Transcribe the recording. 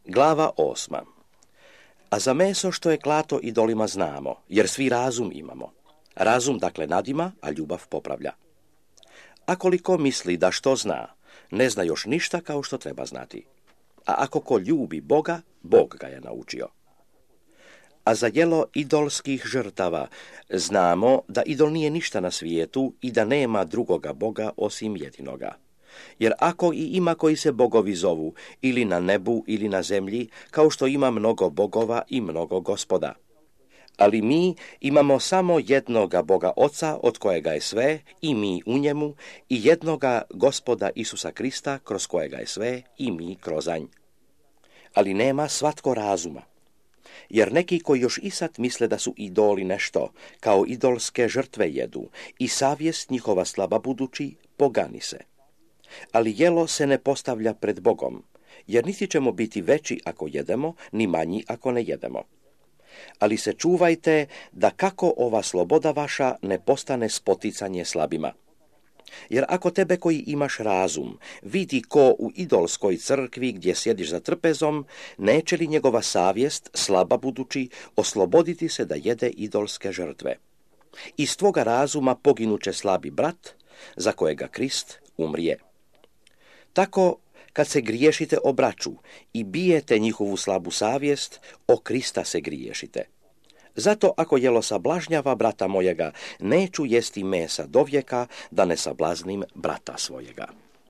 Glava 8. A za meso što je klato idolima znamo, jer svi razum imamo. Razum dakle nadima, a ljubav popravlja. A koliko misli da što zna, ne zna još ništa kao što treba znati. A ako ko ljubi Boga, Bog ga je naučio. A za jelo idolskih žrtava znamo da idol nije ništa na svijetu i da nema drugoga Boga osim jedinoga. Jer ako i ima koji se bogovi zovu, ili na nebu ili na zemlji, kao što ima mnogo bogova i mnogo gospoda. Ali mi imamo samo jednoga Boga Oca, od kojega je sve, i mi u njemu, i jednoga Gospoda Isusa Krista, kroz kojega je sve, i mi kroz nj. Ali nema svatko razuma. Jer neki koji još i sad misle da su idoli nešto, kao idolske žrtve jedu, i savjest njihova slaba budući, pogani se. Ali jelo se ne postavlja pred Bogom, jer niti ćemo biti veći ako jedemo, ni manji ako ne jedemo. Ali se čuvajte da kako ova sloboda vaša ne postane spoticanje slabima. Jer ako tebe koji imaš razum vidi ko u idolskoj crkvi gdje sjediš za trpezom, neće li njegova savjest, slaba budući, osloboditi se da jede idolske žrtve? Iz tvoga razuma poginuće slabi brat, za kojega Krist umrije. Tako, kad se griješite o braću i bijete njihovu slabu savjest, o Krista se griješite. Zato ako jelo sablažnjava brata mojega, neću jesti mesa dovijeka, da ne sablaznim brata svojega.